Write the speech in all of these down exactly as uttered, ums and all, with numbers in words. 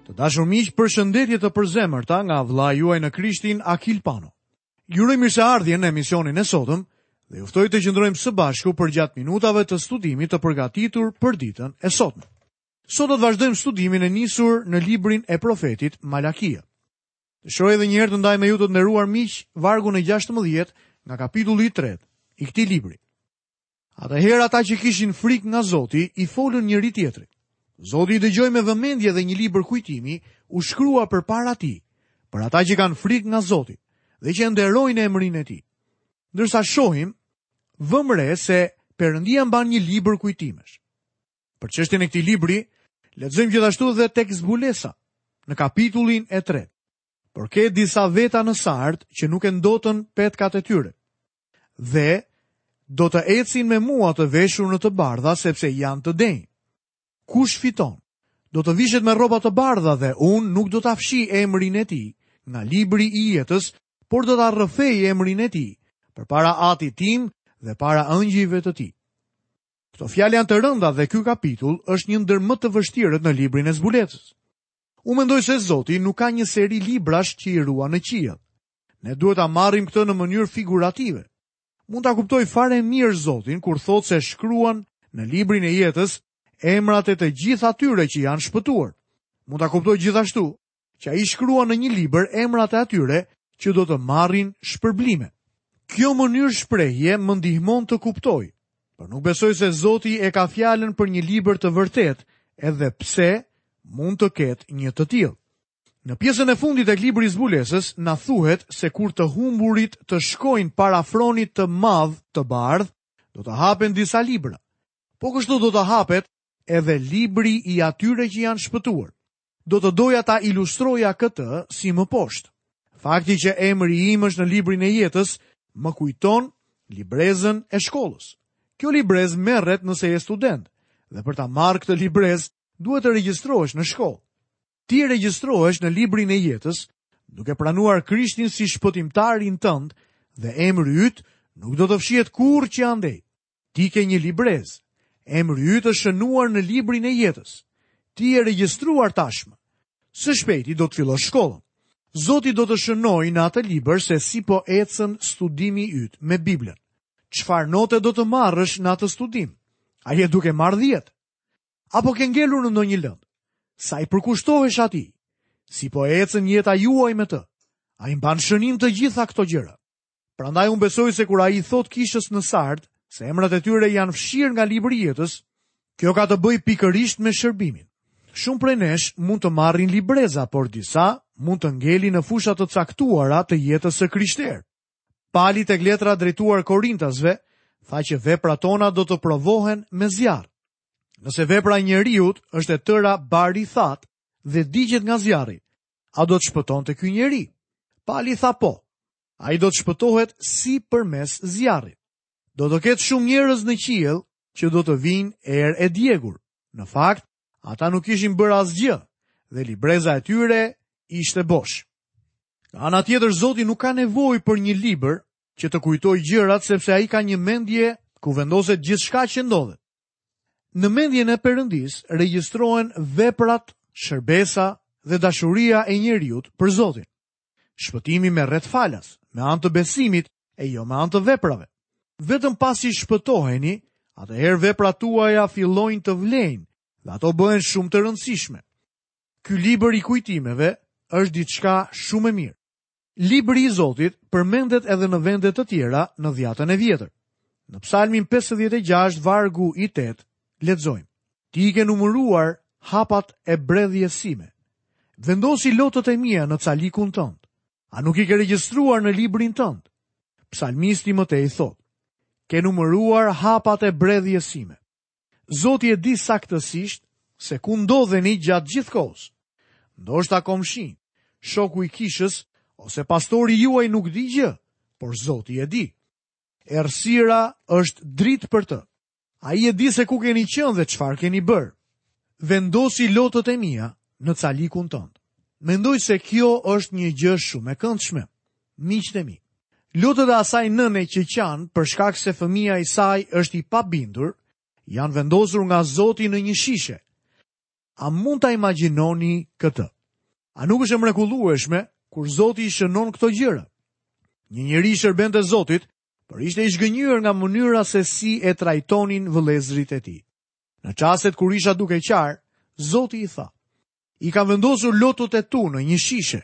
Të dashur miq, përshëndetje të përzemërta nga vëllai juaj në Krishtin Akil Pano. Ju uroj mirëseardhjen në emisionin e sotëm dhe ju ftoj të qëndrojmë së bashku përgjatë minutave të studimit të përgatitur për ditën e sotme. Sot do të vazhdojmë studimin e nisur në librin e profetit Malakia. Dëshiroj edhe një herë të ndaj me ju të nderuar miq vargun e gjashtëmbëdhjetë nga kapitulli i tretë i këtij libri. Atëherë ata që kishin frikë nga Zoti i folën njëri tjetrit. Zoti i dëgjoi me vëmendje dhe një libër kujtimi u shkrua përpara tij, për ata që kanë frikë nga Zoti dhe që nderojnë emrin e tij. Ndërsa shohim, vëmë re se Perëndia mban një libër kujtimesh. Për çështjen e këtij libri, lexojmë gjithashtu dhe tek Zbulesa, në kapitullin e tretë. Por ke disa veta në Sard që nuk e ndotën petkat e tyre. Dhe do të ecin me mua të veshur në të bardha, sepse janë të denjë. Kush fiton? Do të vishet me rroba të bardha dhe unë nuk do ta fshi emrin e tij nga libri i jetës, por do ta rrëfej emrin e tij përpara atit tim dhe para ëngjëjve të tij. Këto fjalë janë të rënda dhe ky kapitull është një ndër më të vështirët në librin e Zbulesës. Unë mendoj se Zoti nuk ka një seri librash që i ruan në qiell. Ne duhet ta marrim këtë në mënyrë figurative. Mund ta kuptoj fare mirë Zotin kur thotë se shkruan në librin e jetës emrat e të gjithë atyre që janë shpëtuar. Mund ta kuptoj gjithashtu që ai shkruan në një libër emrat e atyre që do të marrin shpërblime. Kjo mënyrë shprehje më ndihmon të kuptoj, por nuk besoj se Zoti e ka fjalën për një libër të vërtetë, edhe pse mund të ketë një të tillë. Në pjesën e fundit e librit Zbulesës na thuhet se kur të humburit të shkojnë para fronit të madh të bardh, do të hapen disa libra. Po kështu do të hapet edhe libri i atyre që janë shpëtuar. Do të doja ta ilustroja këtë si më poshtë. Fakti që emri im është në librin e jetës më kujton librezën e shkollës. Kjo librezë merret nëse je student dhe për ta marrë këtë librezë duhet të regjistrohesh në shkollë. Ti regjistrohesh në librin e jetës duke pranuar Krishtin si shpëtimtarin tënd dhe emri yt nuk do të fshihet kurrë që andej. Ti ke një librezë. Emri yt është shënuar në librin e jetës. Ti je regjistruar tashmë. Së shpejti do të fillosh shkollën. Zoti do të shënojë në atë libër se si po ecën studimi yt me Biblën. Çfarë note do të marrësh në atë studim? A je duke marrë dhjetë? Apo ke ngelur në ndonjë lëndë? Sa i përkushtohesh atij? Si po ecën jeta juaj me të? Ai mban shënim të gjitha këto gjëra. Prandaj unë besoj se kur ai thot kishës në Sard se emrat e tyre janë fshirë nga libri i jetës, kjo ka të bëjë pikërisht me shërbimin. Shumë prej nesh mund të marrin libreza, por disa mund të ngelin në fusha të caktuara të jetës së krishterë. Pali tek letra drejtuar Korintasve tha që veprat tona do të provohen me zjarr. Nëse vepra e njeriut është e tëra bari thatë dhe digjet nga zjarri, a do të shpëtonte ky njeri? Pali tha po. Ai do të shpëtohet si përmes zjarrit. Do të ketë shumë njerëz në qiell që do të vinë erë e djegur. Në fakt, ata nuk kishin bërë asgjë dhe libreza e tyre ishte bosh. Nga ana tjetër, Zoti nuk ka nevojë për një libër që të kujtojë gjërat, sepse ai ka një mendje ku vendoset gjithçka që ndodhet. Në mendjen e Perëndis regjistrohen veprat, shërbesa dhe dashuria e njeriut për Zotin. Shpëtimi merret falas, me anë të besimit e jo me anë të veprave. Vetëm pasi shpëtoheni, atëherë veprat tuaja fillojnë të vlejnë dhe ato bëhen shumë të rëndësishme. Ky libër i kujtimeve është diçka shumë e mirë. Libri i Zotit përmendet edhe në vende të tjera në dhjatën e vjetër. Në Psalmin pesëdhjetë e gjashtë, vargu i tetë, lexojmë: Ti i ke numëruar hapat e bredhjes sime. Vendosi lotët e mia në calikun tënd. A nuk i ke regjistruar në librin tënd? Psalmisti më tej thotë: Ke numëruar hapat e bredhjes sime. Zoti e di saktësisht se ku ndodheni gjatë gjithë kohës. Ndoshta komshin, shoku i kishës ose pastori juaj nuk di gjë, por Zoti e di. Errësira është dritë për të. Ai e di se ku keni qenë dhe çfarë keni bërë. Vendosi lotët e mia në calikun tënd. Mendoj se kjo është një gjë shumë e këndshme. Miqtë e mi, lotët e asaj nëne që qanë për shkak se fëmia i saj është i pabindur, janë vendosur nga Zoti në një shishe. A mund ta imagjinoni këtë? A nuk është e mrekullueshme kur Zoti i shënon këto gjëra? Një njeri i shërbente Zotit, por ishte i zhgënjur nga mënyra se si e trajtonin vëllezërit e tij. Në çastet kur isha duke qarë, Zoti i tha: "I kam vendosur lotët e tu në një shishe."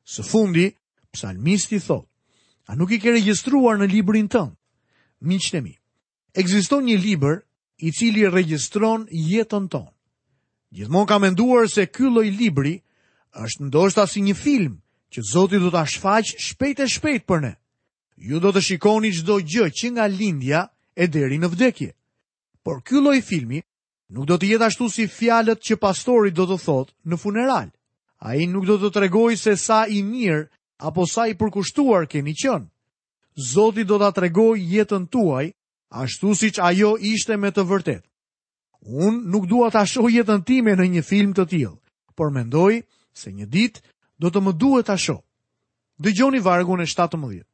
Së fundi, psalmisti thotë: "A nuk i ke regjistruar në librin tënd?" Miqtë e mi, ekziston një libër i cili regjistron jetën tonë. Gjithmonë kam menduar se ky lloj libri është ndoshta si një film që Zoti do ta shfaq shpejt e shpejt për ne. Ju do të shikoni çdo gjë që nga lindja e deri në vdekje. Por ky lloj filmi nuk do të jetë ashtu si fjalët që pastori do të thotë në funeral. Ai nuk do të tregojë se sa i mirë apo sa i përkushtuar keni qenë. Zoti do ta tregojë jetën tuaj ashtu siç ajo ishte me të vërtetë. Unë nuk dua ta shoh jetën time në një film të tillë, por mendoj se një ditë do të më duhet ta shoh. Dëgjoni vargun e shtatëmbëdhjetë.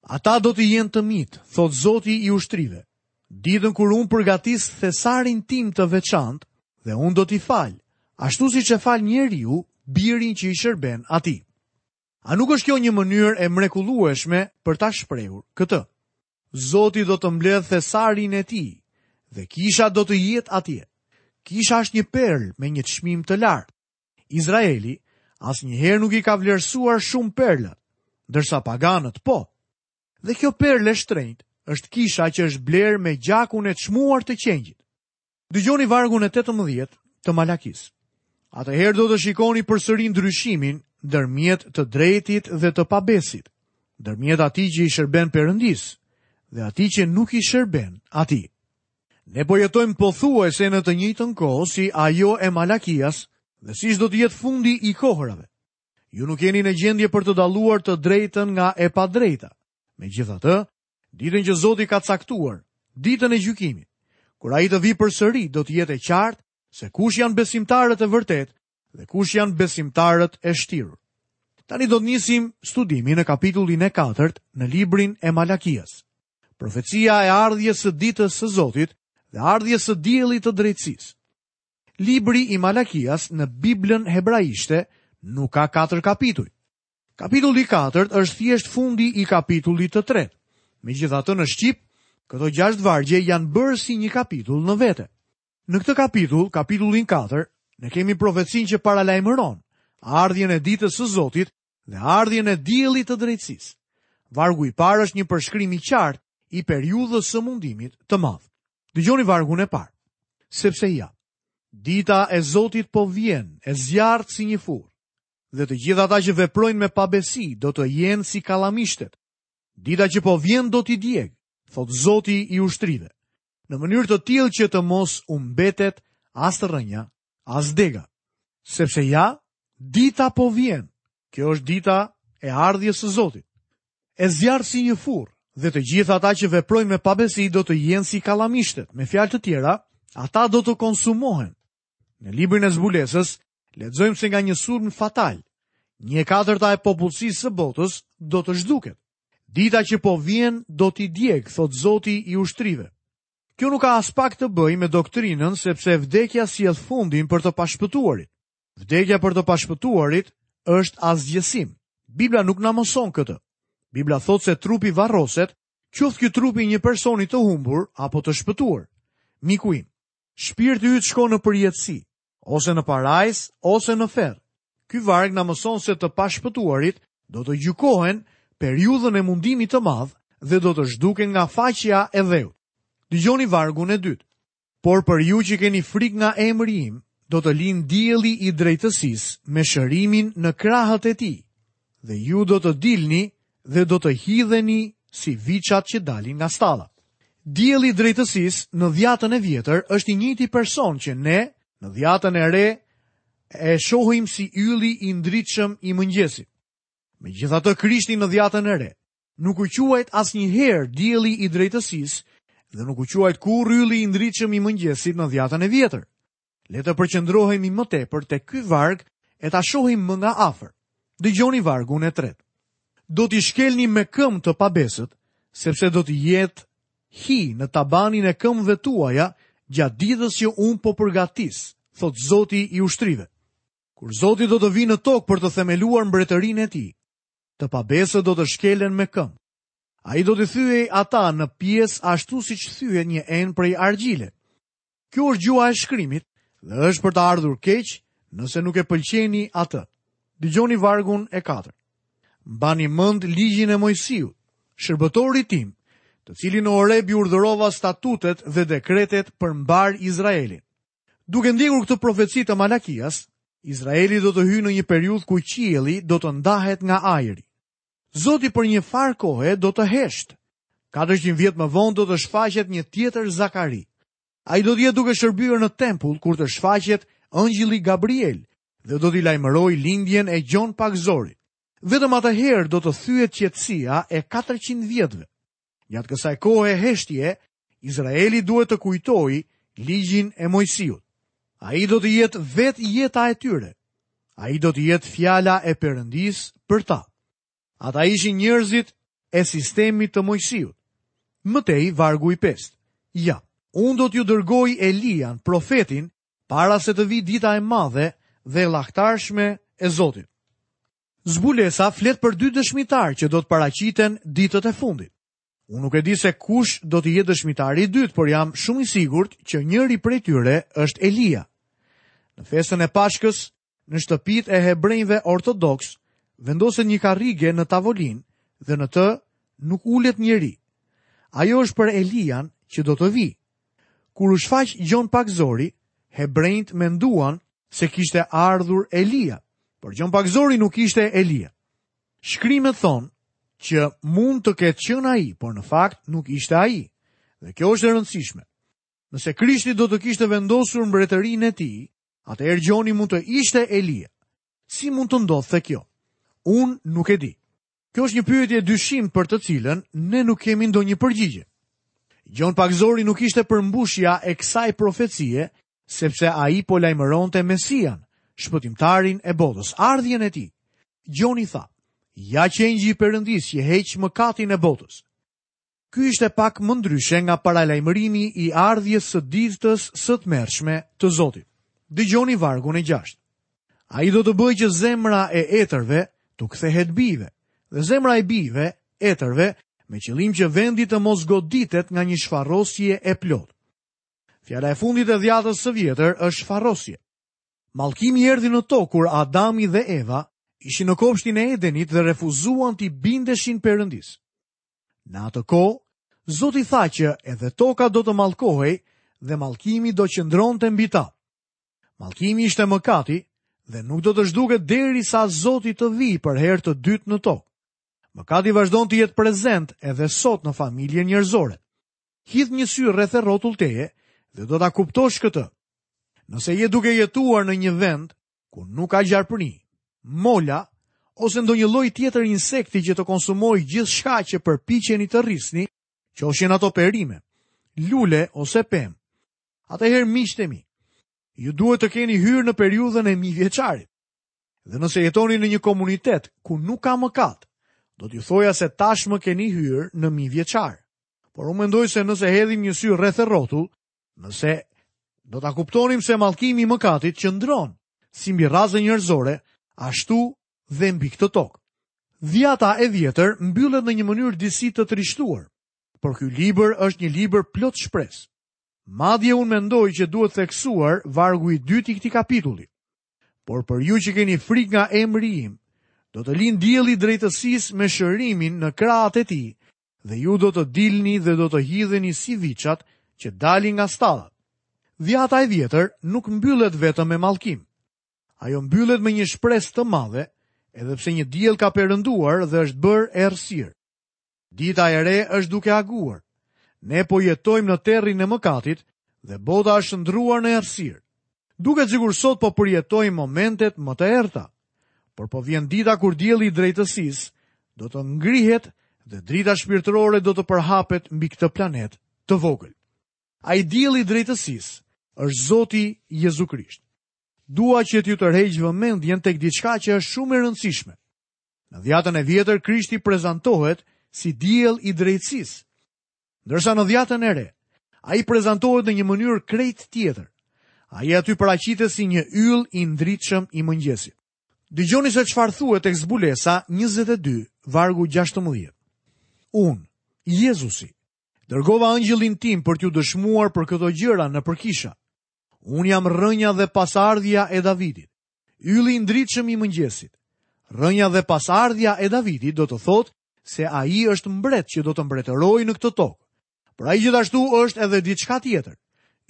Ata do të jenë të mitë, thot Zoti i ushtrive, ditën kur unë përgatis thesarin tim të veçantë dhe unë do t'i fal, ashtu siç e fal njeriu birin që i shërben atij. A nuk është kjo një mënyrë e mrekullueshme për ta shprehur këtë? Zoti do të mbledh thesarin e tij dhe kisha do të jetë atje. Kisha është një perlë me një çmim të lartë. Izraeli asnjëherë nuk i ka vlerësuar shumë perlat, ndërsa paganët po. Dhe kjo perlë e shtrenjtë është kisha që është blerë me gjakun e çmuar të qengjit. Dëgjoni vargun e tetëmbëdhjetë të Malakisë. Atëherë do të shikoni përsëri ndryshimin ndërmjet të drejtit dhe të pabesit, ndërmjet atij që i shërben Perëndisë dhe atij që nuk i shërben atij. Ne po jetojmë pothuajse në të njëjtën kohë si ajo e Malakias dhe siç do të jetë fundi i kohërave. Ju nuk jeni në gjendje për të dalluar të drejtën nga e padrejta. Megjithatë, ditën që Zoti ka caktuar, ditën e gjykimit, kur ai të vi përsëri, do të jetë e qartë se kush janë besimtarët e vërtetë dhe kush janë besimtarët e shtirur. Tani do të nisim studimin në kapitullin e katërt në librin e Malakias. Profecia e ardhjes së ditës së Zotit dhe ardhjes së diellit të drejtësisë. Libri i Malakias në Biblën hebraishte nuk ka katër kapituj. Kapitulli i katërt është thjesht fundi i kapitullit të tretë. Megjithatë në shqip, këto gjashtë vargje janë bërë si një kapitull në vete. Në këtë kapitull, kapitullin katër, ne kemi profecinë që paralajmëron ardhjen e ditës së Zotit dhe ardhjen e diellit të drejtësisë. Vargu i parë është një përshkrim i qartë i periudhës së mundimit të madh. Dëgjoni vargun e parë. Sepse ja, dita e Zotit po vjen, e zjarrt si një furrë, dhe të gjithë ata që veprojnë me pabesi do të jenë si kallamishtet. Dita që po vjen do t'i djeg, thot Zoti i ushtrive, në mënyrë të tillë që të mos u mbetet as rrënja, as dega. Sepse ja, dita po vjen. Kjo është dita e ardhjes së Zotit. E zjarr si një furrë, dhe të gjithë ata që veprojnë me pabesi do të jenë si kallamishtet. Me fjalë të tjera, ata do të konsumohen. Në librin e zbulesës, lexojmë se nga një sulm fatal, një e katërta e popullsisë së botës do të zhduket. Dita që po vjen do t'i djeg, thot Zoti i ushtrive. Kjo nuk ka aspak të bëjë me doktrinën, sepse vdekja sjell fundin për të pashpëtuarit. Vdekja për të pashpëtuarit është asgjësim. Bibla nuk na mëson këtë. Bibla thotë se trupi varroset, qoftë ky trupi i një personi të humbur apo të shpëtuar. Miku im, shpirti yt shkon në përjetësi, ose në parajs, ose në ferr. Ky varg na mëson se të pashpëtuarit do të gjykohen periudhën e mundimit të madh dhe do të zhduken nga faqja e dheut. Dëgjoni vargun e dytë. Por për ju që keni frikë nga emri im, do të lind dielli i drejtësisë me shërimin në krahët e tij, dhe ju do të dilni dhe do të hidheni si viçat që dalin nga stalla. Dielli i drejtësisë në dhjatën e vjetër është i njëjti person që ne në dhjatën e re e shohim si ylli i ndritshëm i mëngjesit. Megjithatë, Krishti në dhjatën e re nuk u quajt asnjëherë dielli i drejtësisë dhe nuk u quajt kurrë ylli i ndritshëm i mëngjesit në dhjatën e vjetër. Le të përqendrohemi më tepër te ky varg e ta shohim më nga afër. Dëgjoni vargun e tretë. Do t'i shkelni me këmbë të pabesët, sepse do të jetë hi në tabanin e këmbëve tuaja gjatë ditës që unë po përgatis, thot Zoti i ushtrive. Kur Zoti do të vijë në tokë për të themeluar mbretërinë e tij, të pabesët do të shkelen me këmbë. Ai do t'i thyej ata në pjesë ashtu siç thyhet një enë prej argjile. Kjo është gjuha e shkrimit dhe është për të ardhur keq nëse nuk e pëlqeni atë. Dëgjoni vargun e katërt. Mbani mend ligjin e Moisiut, shërbëtorit tim, të cilin në Oreb i urdhërova statutet dhe dekretet për mbar Izraelin. Duke ndjekur këtë profeci të Malakias, Izraeli do të hyjë në një periudhë ku qielli do të ndahet nga ajri. Zoti për një farë kohe do të hesht. katërqind vjet më vonë do të shfaqet një tjetër Zakari. Ai do të jetë duke shërbyer në tempull kur të shfaqet Angjëlli Gabriel dhe do t'i lajmërojë lindjen e Gjon Pagëzorit. Vetëm atëherë do të thyet qetësia e katërqind vjetëve. Gjatë kësaj kohe heshtje, Izraeli duhet të kujtojë ligjin e Moisiut. Ai do të jetë vetë jeta e tyre. Ai do të jetë fjala e Perëndisë për ta. Ata ishin njerëzit e sistemit të Moisiut. Më tej vargu i pestë. Ja, unë do t'ju dërgoj Elian, profetin, para se të vijë dita e madhe dhe e llahtarshme e Zotit. Zbulesa flet për dy dëshmitar që do të paraqiten ditët e fundit. Unë nuk e di se kush do të jetë dëshmitari i dytë, por jam shumë i sigurt që njëri prej tyre është Elia. Në festën e Pashkës, në shtëpitë e hebrejve ortodoks, vendoset një karrige në tavolinë dhe në të nuk ulet njeri. Ajo është për Elian që do të vijë. Kur u shfaq Gjon Pagëzori, hebrejt menduan se kishte ardhur Elia, por Gjon Pagëzori nuk ishte Elia. Shkrimet thonë që mund të ketë qenë ai, por në fakt nuk ishte ai. Dhe kjo është e rëndësishme. Nëse Krishti do të kishte vendosur mbretërinë e tij, atëherë Gjoni mund të ishte Elia. Si mund të ndodhte kjo? Unë nuk e di. Kjo është një pyetje e dyshimtë për të cilën ne nuk kemi ndonjë përgjigje. Gjon Pagëzori nuk ishte përmbushja e kësaj profecie, sepse ai po lajmëronte Mesian, shpëtimtarin e botës, ardhjen e tij. Gjoni tha: "Ja qengji i Perëndisë që heq mëkatin e botës." Ky ishte pak më ndryshe nga paralajmërimi i ardhjes së ditës së tmerrshme të Zotit. Dëgjoni vargun e gjashtë. Ai do të bëjë që zemra e etërve t'u kthehet bijve, dhe zemra e bijve, etërve, me qëllim që vendi të mos goditet nga një shfarosje e plotë. Fjala e fundit e dhjatës së vjetër është shfarosje. Mallkimi erdhi në tokë kur Adami dhe Eva ishin në kopshtin e Edenit dhe refuzuan t'i bindeshin Perëndisë. Në atë kohë, Zoti tha që edhe toka do të mallkohej dhe mallkimi do qëndronte mbi ta. Mallkimi ishte mëkati dhe nuk do të zhduket derisa Zoti të vijë për herë të dytë në tokë. Mëkati vazhdon të jetë prezent edhe sot në familjen njerëzore. Hidh një sy rreth e rrotull teje dhe do ta kuptosh këtë. Nëse je duke jetuar në një vend ku nuk ka gjarpëri, mola ose ndonjë lloj tjetër insekti që të konsumojë gjithçka që përpiqeni të rrisni, qofshin ato perime, lule ose pemë, atëherë miqtë e mi, ju duhet të keni hyrë në periudhën e mijëvjeçarit. Dhe nëse jetoni në një komunitet ku nuk ka mëkat, do t'ju thoja se tashmë keni hyrë në mijëvjeçar. Por unë mendoj se nëse hedhim një sy rreth e rrotull, nëse do ta kuptonim se mallkimi i mëkatit qëndron si mbi rrazën njerëzore, ashtu dhe mbi këtë tokë. Dhjata e vjetër mbyllet në një mënyrë disi të trishtuar, por ky libër është një libër plot shpresë. Madje unë mendoj që duhet theksuar vargu i dytë i këtij kapitulli. Por për ju që keni frikë nga emri im, do të lind dielli drejtësisë me shërimin në krahët e tij, dhe ju do të dilni dhe do të hidheni si viçat që dalin nga stallat. Dhjata e vjetër nuk mbyllet vetëm me mallkim. Ajo mbyllet me një shpresë të madhe, edhe pse një diell ka perënduar dhe është bërë errësirë. Dita e re është duke aguar. Ne po jetojmë në terrin e mëkatit dhe bota është ndruar në errësirë. Duket sikur sot po përjetojmë momentet më të errta, por po vjen dita kur dielli i drejtësisë do të ngrihet dhe drita shpirtërore do të përhapet mbi këtë planet të vogël. Ai dielli i drejtësisë është Zoti Jezu Krisht. Dua që t'ju tërheq vëmendjen tek diçka që është shumë e rëndësishme. Në dhjatën e vjetër Krishti prezantohet si diell i drejtësisë, ndërsa në dhjatën e re ai prezantohet në një mënyrë krejt tjetër. Ai aty paraqitet si një yll i ndritshëm i mëngjesit. Dëgjoni se çfarë thuhet tek Zbulesa njëzet e dy, vargu gjashtëmbëdhjetë. Unë, Jezusi, dërgova angjëllin tim për t'ju dëshmuar për këto gjëra nëpër kisha. Unë jam rrënja dhe pasardhja e Davidit, ylli i ndritshëm i mëngjesit. Rrënja dhe pasardhja e Davidit do të thotë se ai është mbret që do të mbretërojë në këtë tokë. Por ai gjithashtu është edhe diçka tjetër,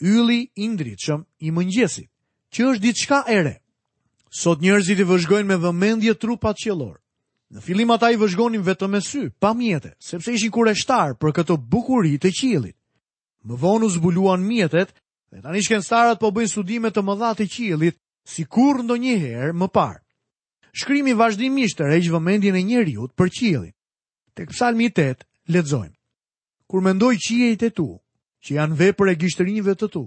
ylli i ndritshëm i mëngjesit, që është diçka e re. Sot njerëzit i vëzhgojnë me vëmendje trupat qiellor. Në fillim ata i vëzhgonin vetëm me sy, pa mjete, sepse ishin kureshtar për këtë bukuri të qiellit. Më vonë u zbuluan mjetet dhe tani shkencëtarët po bëjnë studime të mëdha të qiellit si kurrë ndonjëherë më parë. Shkrimi vazhdimisht tërheq vëmendjen e njeriut për qiellin. Tek Psalmi tetë lexojmë: Kur mendoj qiejt e tu, që janë vepër e gishtërinjve të tu,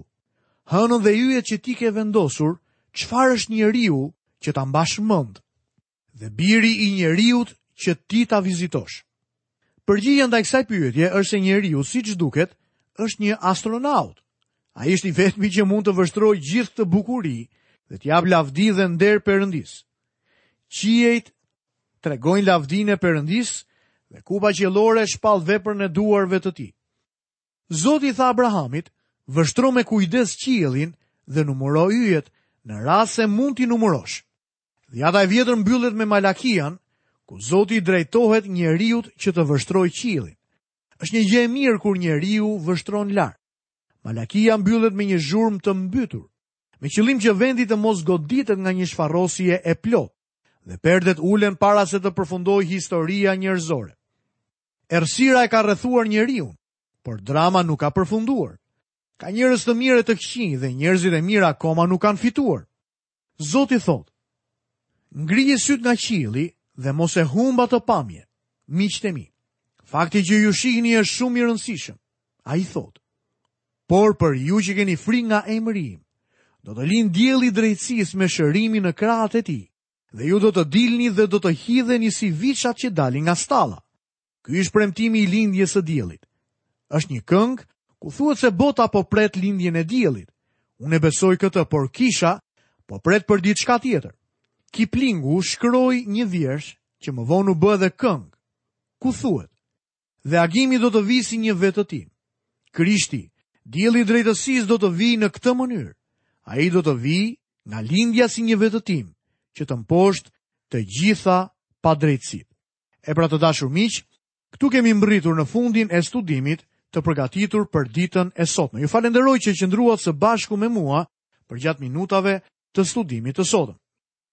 hënën dhe yjet që ti ke vendosur, çfarë është njeriu që ta mbash mend? Dhe biri i njeriut që ti ta vizitosh. Përgjigjja ndaj kësaj pyetje është se njeriu, siç duket, është një astronaut. Ai është i vetmi që mund të vështrojë gjithë këtë bukuri dhe të japë lavdi dhe nder Perëndis. Qiejt tregojnë lavdinë e Perëndis dhe kupa qiellore shpall veprën e duarve të tij. Zoti i tha Abrahamit: vështro me kujdes qiellin dhe numëro yjet, në rast se mund t'i numërosh. Dhjata e vjetër mbyllet me Malakian, ku Zoti i drejtohet njeriut që të vështrojë qiellin. Është një gjë e mirë kur njeriu vështron lart. Malakia mbyllet me një zhurmë të mbytur, me qëllim që vendi të mos goditet nga një shfarosje e plotë, dhe perdet ulen para se të përfundojë historia njerëzore. Errësira e ka rrethuar njeriun, por drama nuk ka përfunduar. Ka njerëz të mirë e të këqij dhe njerëzit e mirë akoma nuk kanë fituar. Zoti thotë: ngrije syt nga qielli dhe mos e humb atë pamje, miqtë e mi. Fakti që ju shihni është shumë i rëndësishëm. Ai thotë: por për ju që keni frikë nga emri im, do të lind dielli i drejtësisë me shërimin në krahët e tij, dhe ju do të dilni dhe do të hidheni si viçat që dalin nga stalla. Ky është premtimi i lindjes së diellit. Është një këngë ku thuhet se bota po pret lindjen e diellit. Unë e besoj këtë, por kisha po pret për diçka tjetër. Kiplingu shkroi një vjersh që më vonë u bë edhe këngë, ku thuhet: dhe agimi do të vijë si një vetëtim. Krishti, dielli i drejtësisë, do të vijë në këtë mënyrë. Ai do të vijë nga lindja si një vetëtim, që të mposht të gjitha padrejtësitë. E pra, të dashur miq, këtu kemi mbërritur në fundin e studimit të përgatitur për ditën e sotme. Ju falenderoj që qëndruat së bashku me mua përgjatë minutave të studimit të sotëm.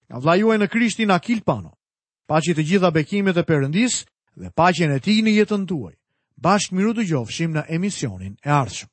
Nga vëllai juaj në Krishtin, Akil Pano. Paçi të gjitha bekimet e Perëndis dhe paqen e tij në jetën tuaj. Bashkë miru dëgjofshim në emisionin e ardhshëm.